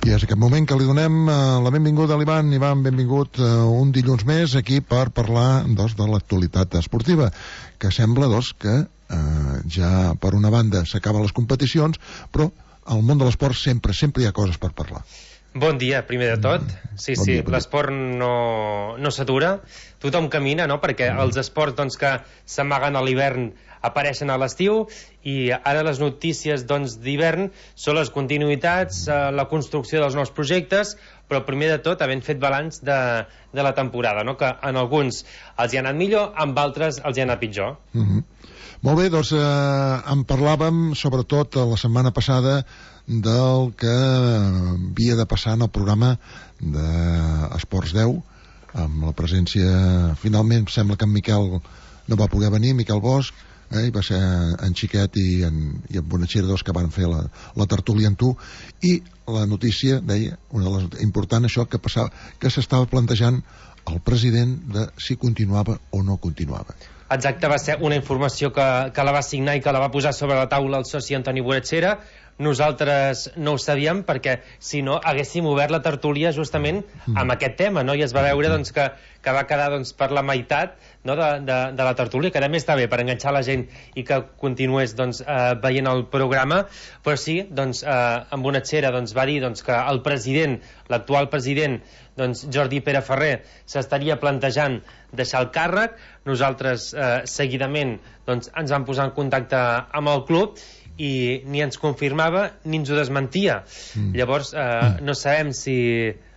I és aquest moment que li donem la benvinguda a l'Ivan. Ivan, benvingut un dilluns més aquí per parlar de l'actualitat esportiva, que sembla que ja per una banda s'acaben les competicions, però al món de l'esport sempre hi ha coses per parlar. Bon dia, primer de tot. Sí, bon dia. L'esport no s'atura, tothom camina, no? Perquè els esports que s'amaguen a l'hivern apareixen a l'estiu, i ara les notícies d'hivern són les continuïtats, la construcció dels nous projectes, però primer de tot havent fet balanç de la temporada, no? Que en alguns els hi ha anat millor, amb altres els hi ha anat pitjor. Molt bé, en parlàvem sobretot la setmana passada del que havia de passar en el programa d'Esports 10, amb la presència, finalment sembla que en Miquel no va poder venir, Miquel Bosch, i va ser en Xiquet i en Bonachera que van fer la tertúlia amb tu, i la notícia deia, una de les important, això que passava, que s'estava plantejant el president de si continuava o no continuava. Exacte, va ser una informació que la va signar i que la va posar sobre la taula el soci Antoni Bonachera. Nosaltres no ho sabíem perquè si no haguéssim obert la tertúlia justament amb aquest tema, no? I es va veure que va quedar per la meitat, no, de la tertúlia, que a més està bé per enganxar la gent i que continués veient el programa, però sí, en Bonachera va dir que el president, l'actual president, Jordi Pere Ferrer, s'estaria plantejant deixar el càrrec. Nosaltres seguidament ens vam posar en contacte amb el club i ni ens confirmava ni ens ho desmentia. Llavors no sabem si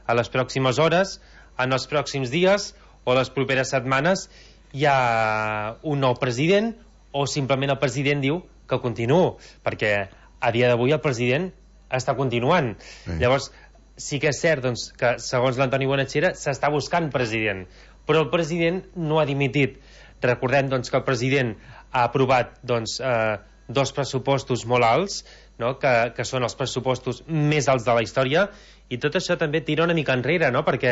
a les pròximes hores, en els pròxims dies o les properes setmanes hi ha un nou president o simplement el president diu que continuo, perquè a dia d'avui el president està continuant. Llavors sí que és cert que segons l'Antoni Bonachera s'està buscant president, però el president no ha dimitit. Recordem que el president ha aprovat dos pressupostos molt alts, no? que són els pressupostos més alts de la història, i tot això també tira una mica enrere, no? Perquè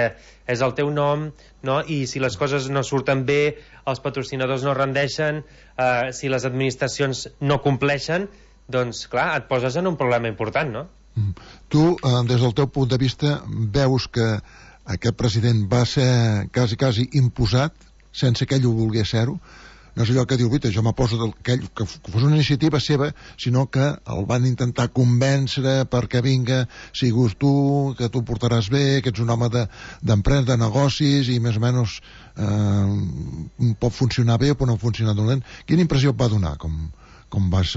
és el teu nom, no? I si les coses no surten bé, els patrocinadors no rendeixen, si les administracions no compleixen, doncs clar, et poses en un problema important, no? Tu, des del teu punt de vista, veus que aquest president va ser quasi imposat sense que ell ho volgués ser-ho? No és allò que diu, jo m'aposo que fos una iniciativa seva, sinó que el van intentar convèncer perquè vinga, sigues tu, que tu portaràs bé, que ets un home d'empresa, de negocis, i més o menys pot funcionar bé o pot no funcionar dolent. Quina impressió et va donar com vas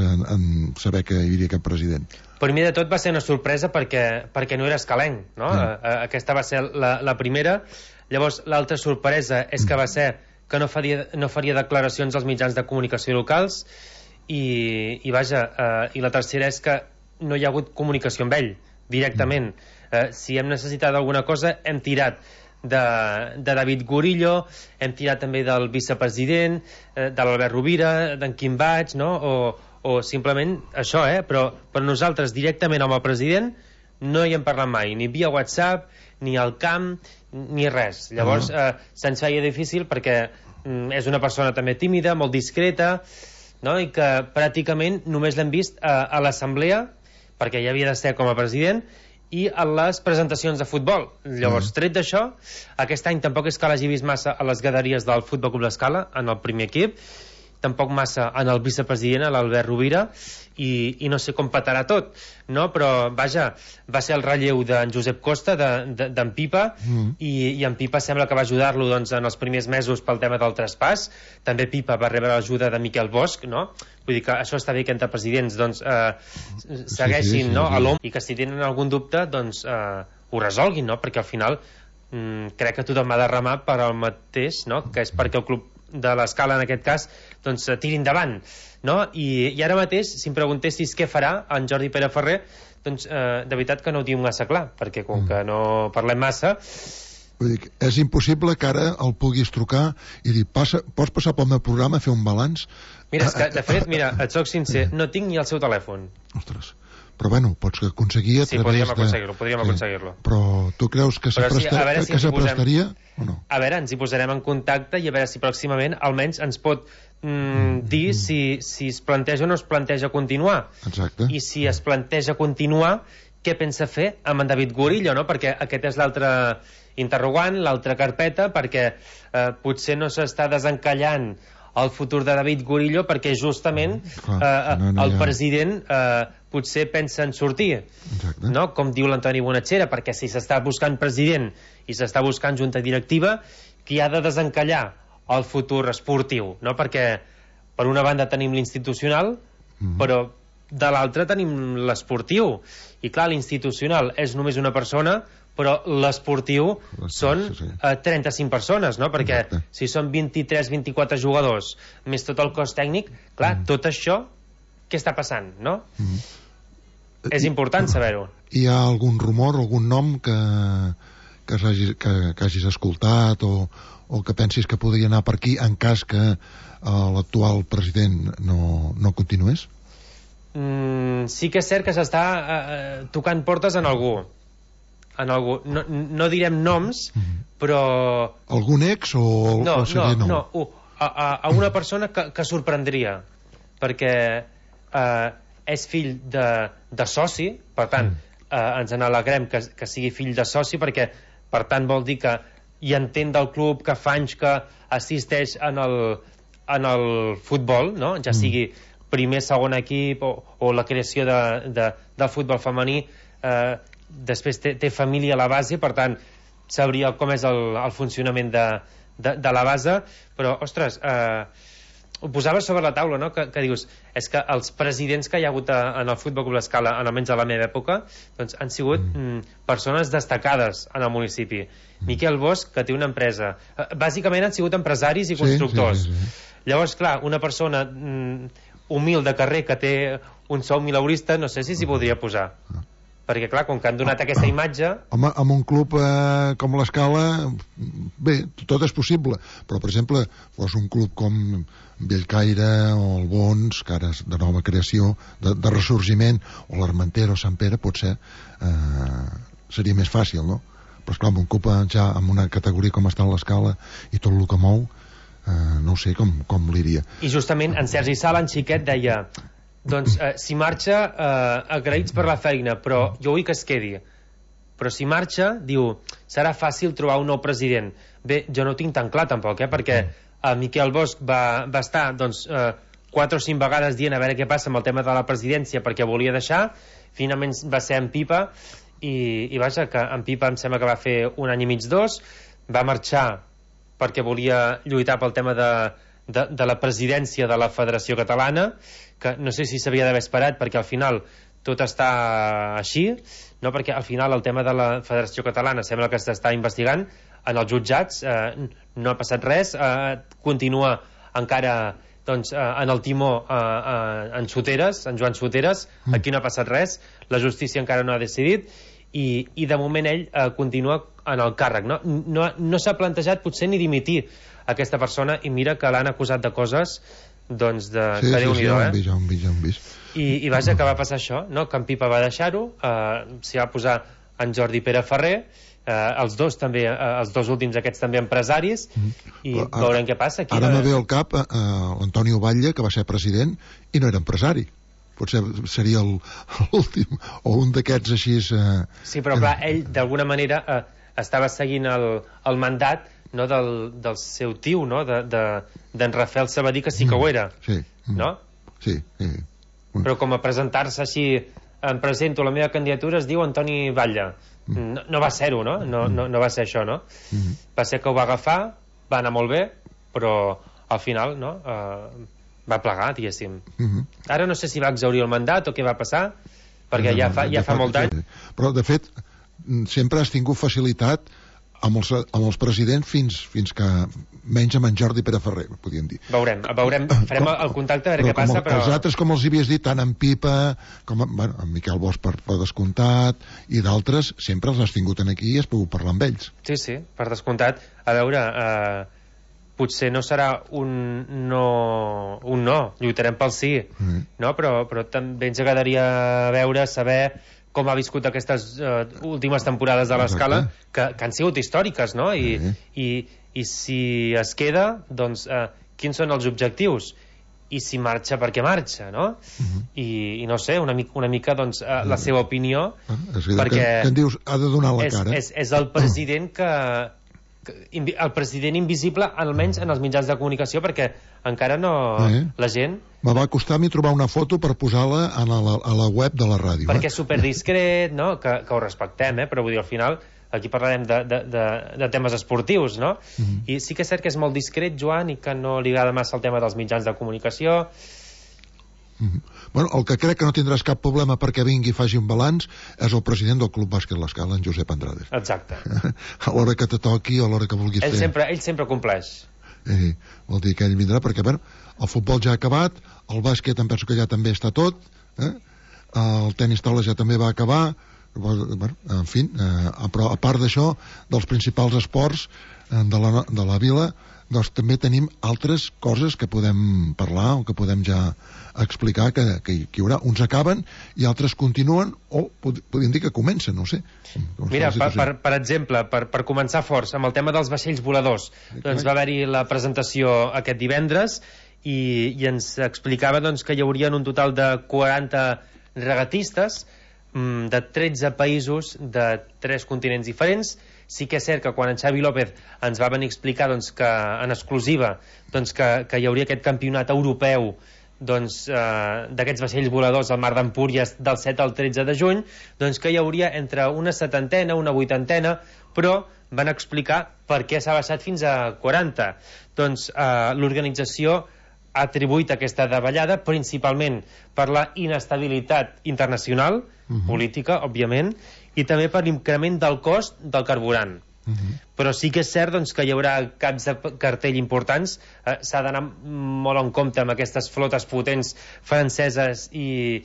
saber que hi havia aquest president? Primer de tot va ser una sorpresa perquè no era escalenc, no? Aquesta va ser la primera. Llavors l'altra sorpresa és que va ser que no faria declaracions als mitjans de comunicació locals i la tercera és que no hi ha hagut comunicació amb ell directament. Si hem necessitat alguna cosa hem tirat de David Gurillo, hem tirat també del vicepresident, de l'Albert Rovira, d'en Quim Baig, no? O simplement això, però nosaltres directament amb el president no hi hem parlat mai, ni via WhatsApp, ni al camp, ni res. Llavors se'ns feia difícil perquè és una persona també tímida, molt discreta, no? I que pràcticament només l'hem vist a l'assemblea, perquè ja havia de ser com a president, i a les presentacions de futbol. Llavors, tret d'això, aquest any tampoc és que l'hagi vist massa a les graderies del Futbol Club L'Escala, en el primer equip, tampoc massa en el vicepresident, l'Albert Rovira, i no sé com petarà tot, no? Però vaja, va ser el relleu d'en Josep Costa, d'en Pipa, i en Pipa sembla que va ajudar-lo en els primers mesos pel tema del traspàs. També Pipa va rebre l'ajuda de Miquel Bosch, no? Vull dir que això està bé que entre presidents segueixin a l'ombra, i que si tenen algun dubte ho resolguin, no? Perquè al final crec que tothom ha de remar per al mateix, no? Que és perquè el club de l'Escala en aquest cas tiri endavant, no? I ara mateix, si em preguntessis què farà en Jordi Pere Ferrer, de veritat que no ho diu massa clar, perquè com que no parlem massa, vull dir, és impossible que ara el puguis trucar i dir, pots passar pel meu programa a fer un balanç? Mira, és que de fet, et soc sincer, no tinc ni el seu telèfon. Ostres, però bueno, pots aconseguir a través podríem aconseguir-lo. Però tu creus que s'aprestaria o no? A veure, ens hi posarem en contacte i a veure si pròximament almenys ens pot dir si es planteja o no es planteja continuar. Exacte. I si es planteja continuar, què pensa fer amb en David Gurillo, no? Perquè aquest és l'altre interrogant, l'altra carpeta, perquè potser no s'està desencallant el futur de David Gurillo perquè justament el president potser pensa en sortir. Exacte. No? Com diu l'Antoni Bonachera, perquè si s'està buscant president i s'està buscant junta directiva, qui ha de desencallar el futur esportiu, no? Perquè per una banda tenim l'institucional, però de l'altra tenim l'esportiu, i clar, l'institucional és només una persona, però l'esportiu són 35 persones, no? Perquè si són 23-24 jugadors més tot el cos tècnic, clar, tot això què està passant, no? És important saber-ho. Hi ha algun rumor, algun nom que hagis escoltat o que pensis que podria anar per aquí en cas que l'actual president no continués? Sí que és cert que s'està tocant portes en algú. No direm noms, però... Algun ex o seria nou? No, a una persona que sorprendria, perquè és fill de soci, per tant, ens n'alegrem que sigui fill de soci, perquè per tant vol dir que hi entén del club, que fa anys que assisteix en el futbol, no? Ja sigui primer, segon equip o la creació del futbol femení, després té família a la base, per tant sabria com és el funcionament de la base, però ostres, ho posava sobre la taula, no? Que dius, és que els presidents que hi ha hagut en el Futbol Club L'Escala, almenys a la meva època, doncs han sigut persones destacades en el municipi. Miquel Bosch, que té una empresa, bàsicament han sigut empresaris i constructors. Llavors, clar, una persona humil de carrer que té un sou mileurista, no sé si s'hi podria posar, perquè clar, com que han donat aquesta imatge... Home, amb un club com l'Escala, bé, tot és possible, però per exemple, fos un club com Bellcaire o el Bons, que ara és de nova creació, de ressorgiment, o l'Armentera o Sant Pere, potser seria més fàcil, no? Però esclar, amb un club ja amb una categoria com està l'Escala i tot el que mou, no sé com l'iria. I justament en Sergi Sala, en Xiquet, deia doncs si marxa, agraïts per la feina, però jo vull que es quedi. Però si marxa, diu, serà fàcil trobar un nou president. Bé, jo no ho tinc tan clar tampoc, perquè Miquel Bosch va estar 4 o 5 vegades dient a veure què passa amb el tema de la presidència perquè volia deixar, finalment va ser en Pipa, i vaja, que en Pipa em sembla que va fer 1 any i mig, 2, va marxar perquè volia lluitar pel tema de la presidència de la Federació Catalana, que no sé si s'havia d'haver esperat, perquè al final tot està així, no? Perquè al final el tema de la Federació Catalana sembla que s'està investigant en els jutjats, no ha passat res, continua encara doncs, en el timó en Soteres, en Joan Soteres, aquí no ha passat res, la justícia encara no ha decidit, i de moment ell continua en el càrrec, no s'ha plantejat potser ni dimitir aquesta persona, i mira que l'han acusat de coses doncs que Déu-n'hi-do, ja ho hem vist. I vaja, que va passar això, no? Que en Pipa va deixar-ho, s'hi va posar en Jordi Pere Ferrer, els dos últims aquests també empresaris, i veurem què passa aquí. Ara me ve al cap l'Antonio Batlle, que va ser president i no era empresari, potser seria l'últim o un d'aquests així. Sí, però clar, ell d'alguna manera estava seguint el mandat, no, del seu tio, no, d'en Rafael Sabadí, que sí que ho era, no? Sí. Però com a presentar-se així, em presento la meva candidatura, es diu Antoni Batlle. No va ser-ho, no? No va ser això, no? Va ser que ho va agafar, va anar molt bé, però al final, no? Va plegar, diguéssim. Ara no sé si va exhaurir el mandat o què va passar, perquè ja fa molt d'any. Però, de fet, sempre has tingut facilitat amb els presidents fins que menys amb en Jordi Pere Ferrer, podríem dir. Veurem, farem el contacte a veure què passa, però... Els altres, com els havies dit, tant en Pipa com en Miquel Bosch per descomptat, i d'altres, sempre els has tingut aquí i has pogut parlar amb ells. Sí, per descomptat. A veure, potser no serà un no, lluitarem pel sí, no? Però també ens agradaria saber com ha viscut aquestes últimes temporades de l'Escala, que han sigut històriques, no? I si es queda, doncs, quins són els objectius? i si marxa perquè marxa, no? I no sé, una mica doncs, la seva opinió, perquè que en dius, ha de donar la cara. És el president el president invisible, almenys en els mitjans de comunicació, perquè encara no... La gent... Me va costar a mi trobar una foto per posar-la a la web de la ràdio. Perquè és superdiscret, no? Que ho respectem, però vull dir, al final aquí parlarem de temes esportius, no? I sí que és cert que és molt discret, Joan, i que no li agrada massa el tema dels mitjans de comunicació. Bueno, el que crec que no tindràs cap problema perquè vingui i faci un balanç és el president del Club Bàsquet L'Escala, en Josep Andrades. Exacte. A l'hora que te toqui, a l'hora que vulguis fer. Ell sempre compleix. Vol dir que ell vindrà perquè, bueno, el futbol ja ha acabat, el bàsquet em penso que ja també està tot, el tenis taula ja també va acabar, bueno, en fi, però a part d'això, dels principals esports de la vila, doncs també tenim altres coses que podem parlar o que podem ja explicar que hi haurà. Uns acaben i altres continuen o podríem dir que comencen, no sé. Mira, per exemple, per començar forts, amb el tema dels vaixells voladors, doncs va haver-hi la presentació aquest divendres i ens explicava doncs, que hi haurien un total de 40 regatistes de 13 països de 3 continents diferents. Sí que és cert que quan en Xavi López ens va venir a explicar doncs, que en exclusiva doncs, que hi hauria aquest campionat europeu doncs, d'aquests vaixells voladors al mar d'Empúries del 7 al 13 de juny, doncs que hi hauria entre una 70, una 80, però van explicar per què s'ha baixat fins a 40. Doncs l'organització ha atribuït aquesta davallada principalment per la inestabilitat internacional, política, òbviament, i també per l'increment del cost del carburant. Però sí que és cert doncs, que hi haurà caps de cartell importants. S'ha d'anar molt en compte amb aquestes flotes potents franceses i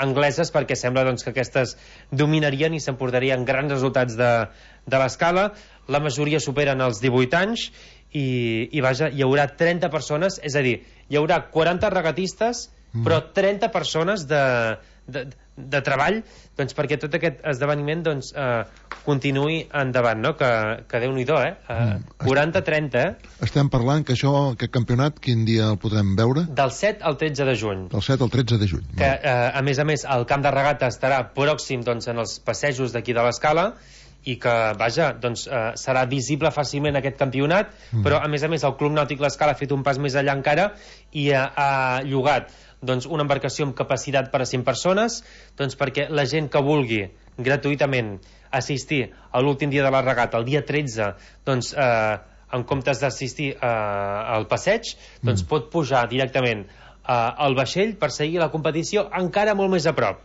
angleses, perquè sembla doncs, que aquestes dominarien i s'emportarien grans resultats de l'escala. La majoria superen els 18 anys i vaja, hi haurà 30 persones, és a dir, hi haurà 40 regatistes, però 30 persones de treball, doncs, perquè tot aquest esdeveniment doncs, continuï endavant, no? Que Déu-n'hi-do, 40-30, Estem parlant que aquest campionat, quin dia el podrem veure? Del 7 al 13 de juny. Del 7 al 13 de juny. Que, a més, el camp de regata estarà pròxim doncs, en els passejos d'aquí de l'Escala, i que, vaja, doncs, serà visible fàcilment aquest campionat, però a més, el Club Nàutic L'Escala ha fet un pas més enllà encara i ha llogat doncs, una embarcació amb capacitat per a 100 persones, doncs, perquè la gent que vulgui gratuïtament assistir a l'últim dia de la regata, el dia 13, doncs, en comptes d'assistir al passeig, doncs pot pujar directament al vaixell per seguir la competició encara molt més a prop.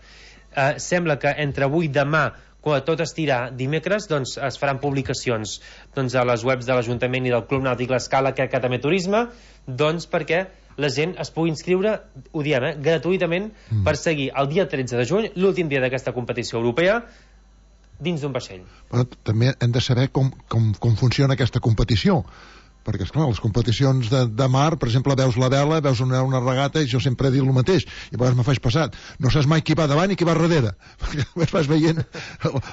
Sembla que entre avui i demà, quan tot estirà dimecres, doncs es faran publicacions doncs, a les webs de l'Ajuntament i del Club Nàutic L'Escala, que també turisme, doncs perquè la gent es pugui inscriure, ho diem, gratuïtament, per seguir el dia 13 de juny, l'últim dia d'aquesta competició europea, dins d'un vaixell. Però també hem de saber com funciona aquesta competició, perquè, esclar, les competicions de mar, per exemple, veus la vela, veus una regata, i jo sempre he dit el mateix, i a vegades me faig passat. No saps mai qui va davant i qui va darrere, perquè vas veient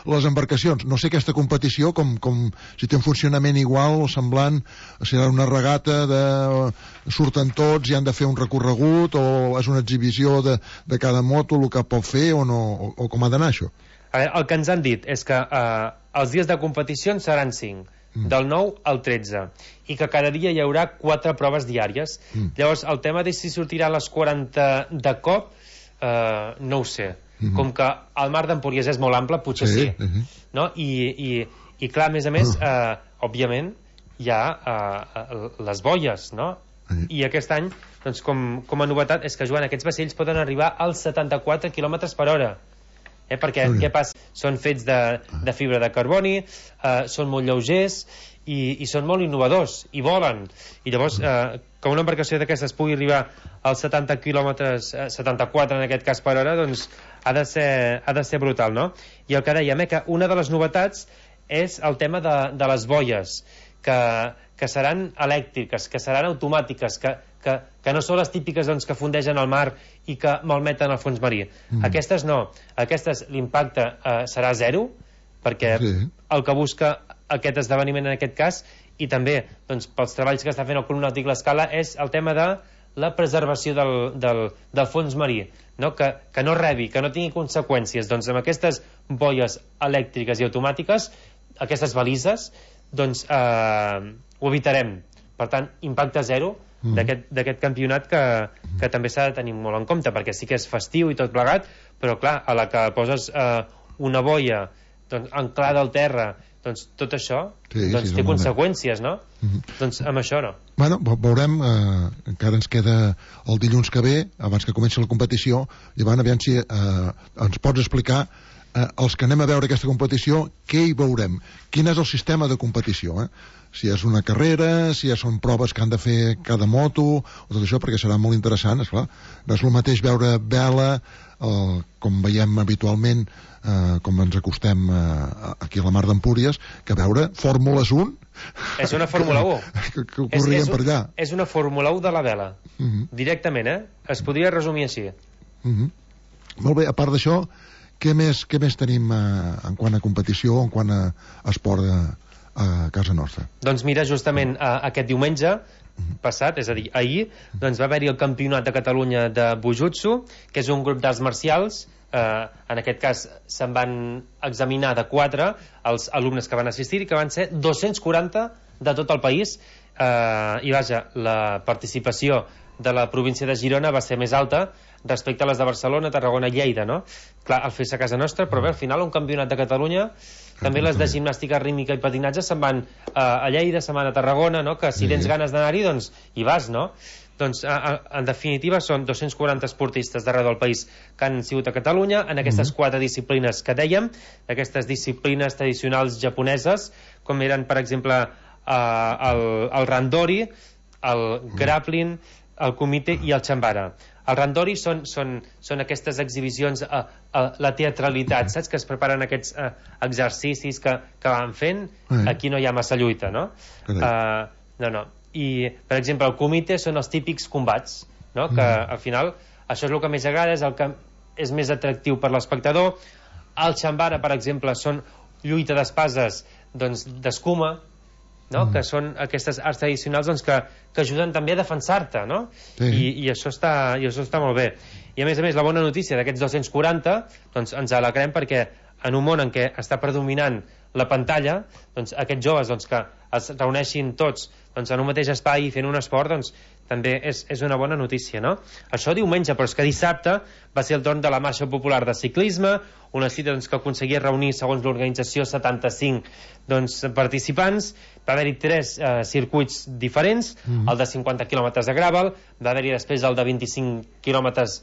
les embarcacions. No sé aquesta competició, si té un funcionament igual o semblant, serà una regata surten tots i han de fer un recorregut, o és una exhibició de cada moto, el que pot fer, o com ha d'anar això? El que ens han dit és que els dies de competició seran 5, del 9 al 13, i que cada dia hi haurà 4 proves diàries. Llavors, el tema de si sortirà a les 40 de cop, no ho sé. Com que el mar d'Empúries és molt ample, potser sí. No? I clar, a més, òbviament, hi ha les boies, no? I aquest any, doncs, com a novetat, és que, Joan, aquests vaixells poden arribar als 74 km per hora. Perquè què passa? Són fets de fibra de carboni, són molt lleugers i són molt innovadors i volen, i llavors que una embarcació d'aquestes pugui arribar als 70 quilòmetres, 74 en aquest cas per hora, doncs ha de ser brutal, no? I el que dèiem, que una de les novetats és el tema de les boies, que seran elèctriques, que seran automàtiques, que no són les típiques doncs, que fundegen al mar i que malmeten el fons marí. Aquestes no. Aquestes l'impacte serà zero, perquè el que busca aquest esdeveniment en aquest cas, i també doncs, pels treballs que està fent el Club Nàutic L'Escala, és el tema de la preservació del fons marí, no? Que no rebi, que no tingui conseqüències. Doncs amb aquestes boies elèctriques i automàtiques, aquestes balises, doncs ho evitarem. Per tant, impacte zero d'aquest campionat que també s'ha de tenir molt en compte, perquè sí que és festiu i tot plegat, però clar, a la que poses una boia doncs, anclada al terra, doncs tot això doncs, té conseqüències, no? Doncs amb això no. Bueno, veurem, encara ens queda el dilluns que ve, abans que comenci la competició, llavors aviam si ens pots explicar els que anem a veure aquesta competició, què hi veurem? Quin és el sistema de competició, si és una carrera, si són proves que han de fer cada moto, o tot això, perquè serà molt interessant, esclar. No és el mateix veure vela, com veiem habitualment, com ens acostem aquí a la Mar d'Empúries, que veure Fórmules 1. És una Fórmula 1. Que corrien per allà. És una Fórmula 1 de la vela. Directament, es podria resumir així. Molt bé, a part d'això, què més tenim en quant a competició, en quant a esport a casa nostra? Doncs mira, justament aquest diumenge passat, és a dir, ahir, doncs va haver-hi el Campionat de Catalunya de Bujutsu, que és un grup d'arts marcials. En aquest cas se'n van examinar de 4 els alumnes que van assistir, que van ser 240 de tot el país, i vaja, la participació de la província de Girona va ser més alta respecte a les de Barcelona, Tarragona i Lleida, no? Clar, al fer-se a casa nostra, però bé, al final un campionat de Catalunya, també les de gimnàstica rítmica i patinatge se'n van a Lleida, se'n van a Tarragona, no? Que si tens ganes d'anar-hi, doncs hi vas, no? Doncs en definitiva són 240 esportistes d'arreu del país que han sigut a Catalunya en aquestes 4 disciplines que dèiem, aquestes disciplines tradicionals japoneses, com eren per exemple el randori, el grappling, el kumite i el chambara. El randori són aquestes exhibicions, la teatralitat, saps? Que es preparen aquests exercicis que van fent. Aquí no hi ha massa lluita, no? No. I, per exemple, el kumite són els típics combats, no? Que al final això és el que més agrada, és el que és més atractiu per l'espectador. El chambara, per exemple, són lluita d'espases d'escuma, no? Que són aquestes arts tradicionals doncs, que ajuden també a defensar-te, no? I això està molt bé. I a més, la bona notícia d'aquests 240 doncs, ens alegrem perquè en un món en què està predominant la pantalla, doncs, aquests joves doncs, que es reuneixin tots doncs, en un mateix espai fent un esport, doncs, també és una bona notícia, no? Això diumenge, però és que dissabte va ser el torn de la Marxa Popular de Ciclisme, una cita doncs, que aconseguia reunir, segons l'organització, 75 doncs, participants. Va haver-hi 3 circuits diferents, el de 50 quilòmetres de gravel, va haver-hi després el de 25 quilòmetres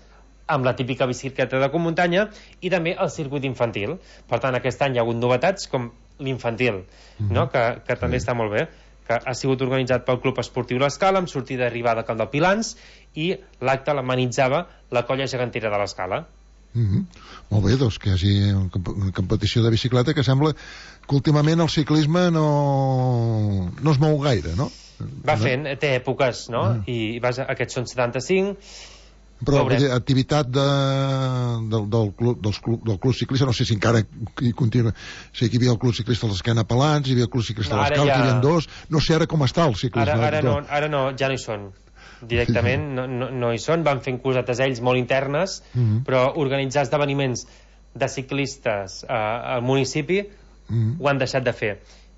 amb la típica bicicleta de muntanya, i també el circuit infantil. Per tant, aquest any hi ha hagut novetats com l'infantil, no? que també està molt bé, que ha sigut organitzat pel Club Esportiu l'Escala, amb sortida i arribada a Camp del Pilans, i l'acte l'amenitzava la Colla Gegantera de l'Escala. Molt bé, doncs que hi hagi una competició de bicicleta, que sembla que últimament el ciclisme no es mou gaire, no? Va fent, té èpoques, no? I aquests són 75. Però activitat del club ciclista, no sé si encara hi continua. Sí, aquí hi havia el club ciclista dels Esquena-Pelats, hi havia el club ciclista de l'Escala, que hi havia 2. No sé ara com està el ciclisme. Ara no, ja no hi són. Directament no hi són, van fent cosetes ells molt internes, però organitzar esdeveniments de ciclistes al municipi ho han deixat de fer.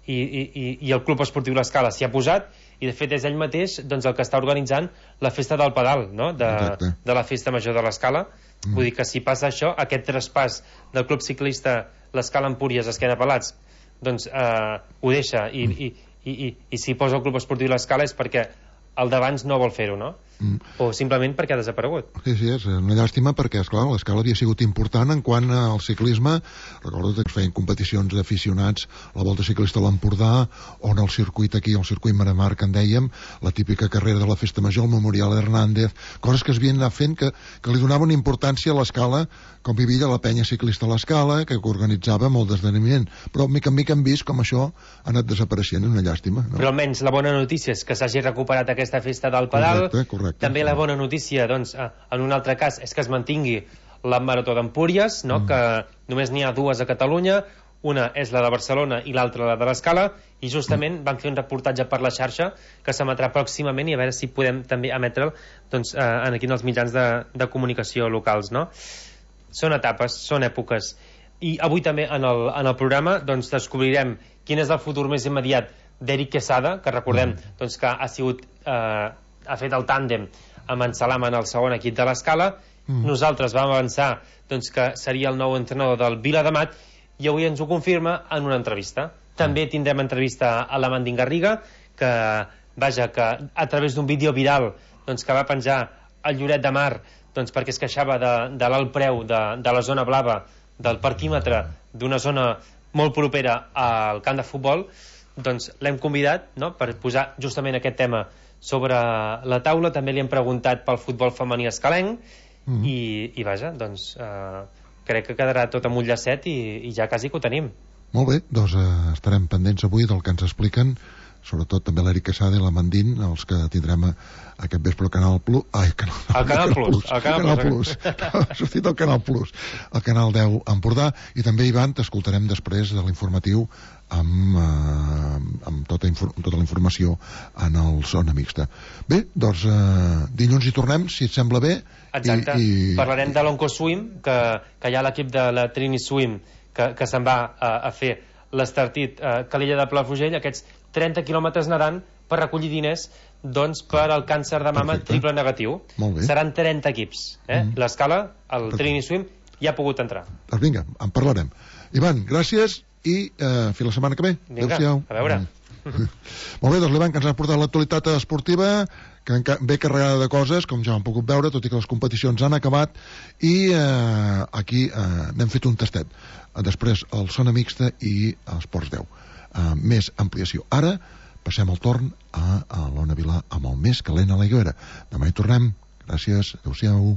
I el Club Esportiu l'Escala s'hi ha posat, i de fet és ell mateix doncs, el que està organitzant la festa del pedal, no? de la festa major de l'Escala. Vull dir que si passa això, aquest traspàs del Club Ciclista l'Escala Empúries Esquena-Pelats doncs ho deixa, i si posa el Club Esportiu l'Escala és perquè el d'abans no vol fer-ho, no? O simplement perquè ha desaparegut. Sí, és una llàstima perquè, esclar, l'Escala havia sigut important en quant al ciclisme. Recordo que es feien competicions d'aficionats, la Volta Ciclista a l'Empordà, on el circuit aquí, el circuit Maramar, que en dèiem, la típica carrera de la Festa Major, el Memorial Hernández, coses que es havien anat fent que li donaven importància a l'Escala, com hi havia la penya ciclista a l'Escala, que organitzava molt d'esdeveniment. Però mica en mica hem vist com això ha anat desapareixent, és una llàstima, no? Però almenys la bona notícia és que s'hagi recuperat aquesta festa del pedal. Correcte. També la bona notícia, doncs, en un altre cas, és que es mantingui la Marató d'Empúries, no? Que només n'hi ha 2 a Catalunya, una és la de Barcelona i l'altra la de l'Escala, i justament van fer un reportatge per la xarxa que s'emetrà pròximament, i a veure si podem també emetre'l doncs, aquí en els mitjans de comunicació locals, no? Són etapes, són èpoques, i avui també en el programa doncs, descobrirem quin és el futur més immediat d'Eric Quesada, que recordem doncs, que ha fet el tàndem amb en Salam en el segon equip de l'Escala. Nosaltres vam avançar doncs, que seria el nou entrenador del Viladamat, i avui ens ho confirma en una entrevista. També tindrem entrevista a la Mandín Garriga, que a través d'un vídeo viral doncs, que va penjar el Lloret de Mar doncs, perquè es queixava de l'alt preu de la zona blava, del parquímetre d'una zona molt propera al camp de futbol, doncs l'hem convidat, no?, per posar justament aquest tema sobre la taula. També li hem preguntat pel futbol femení escalenc, i vaja, doncs crec que quedarà tot amb un llacet i ja quasi que ho tenim. Molt bé, doncs estarem pendents avui del que ens expliquen, sobretot també l'Eric Quesada i la Mandín, els que tindrem aquest vespre al Canal Plus. Ai, Canal Plus. Ha sortit el Canal Plus, el Canal 10 Empordà. I també, Ivan, t'escoltarem després de l'informatiu amb tota la informació en el Zona Mixta. Bé, doncs dilluns hi tornem, si et sembla bé. Exacte, parlarem de l'Oncoswim, que hi ha l'equip de la Trini Swim que se'n va a fer l'Estartit Calella de Palafrugell, aquests 30 quilòmetres nedant per recollir diners doncs, per al càncer de mama triple negatiu. Seran 30 equips. L'Escala, el Trini Swim, ja ha pogut entrar. Doncs vinga, en parlarem. Ivan, gràcies i fins la setmana que ve. Vinga, a veure. Molt bé, doncs l'Ivan, que ens ha portat l'actualitat esportiva, que ve carregada de coses, com ja hem pogut veure, tot i que les competicions han acabat, i aquí n'hem fet un tastet. Després el Zona Mixta i Esports 10. Més ampliació. Ara passem el torn a l'Ona Vilà amb el més calent a la Higuera. Demà hi tornem. Gràcies. Adéu-siau.